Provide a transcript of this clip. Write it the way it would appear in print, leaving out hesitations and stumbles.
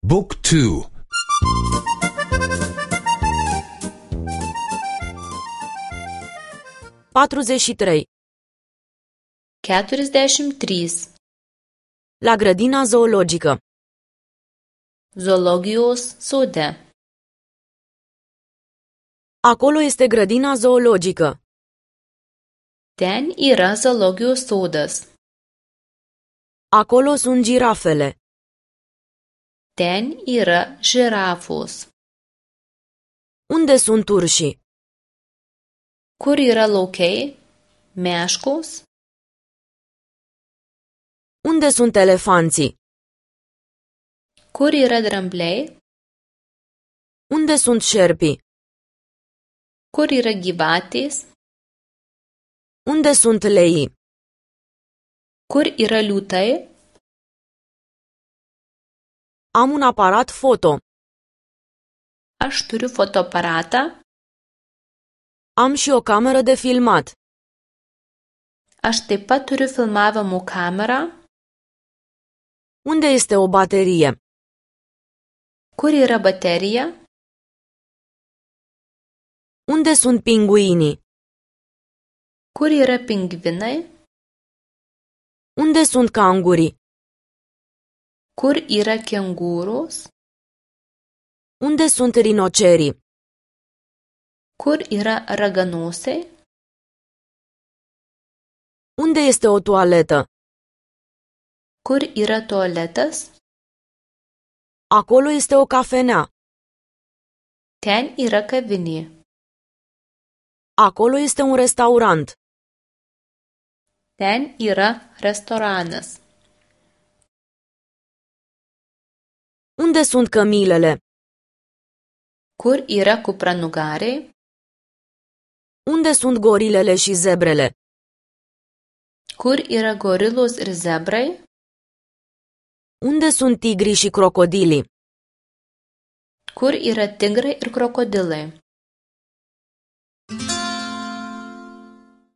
Book 2. 43. 43. La grădina zoologică. Zoologijos sode. Acolo este grădina zoologică. Ten yra zoologijos sodas. Acolo sunt girafele. Ten yra žirafos. Unde sunt urșii? Kur yra laukai? Meškos. Unde sunt elefanții? Kur yra drambliai? Unde sunt șerpii? Kur yra gyvatės? Unde sunt leii? Kur yra liūtai? Am un aparat foto. Aš turiu fotoaparatą. Am și o cameră de filmat. Aš taip pat turiu filmavimo kamerą. Unde este o baterie? Kur yra baterija? Unde sunt pinguinii? Kur yra pingvinai? Unde sunt cangurii? Kur yra kengūros? Unde sunt rinocerii? Kur yra raganosiai? Unde este o toaletă? Kur yra tualetas? Acolo este o cafenea. Ten yra kavinė. Acolo este un restaurant. Ten yra restoranas. Unde sunt cămilele? Kur yra kupranugariai? Unde sunt gorilele și zebrele? Kur yra gorilos ir zebrai? Unde sunt tigrii și crocodilii? Kur yra tigrai ir krokodilai?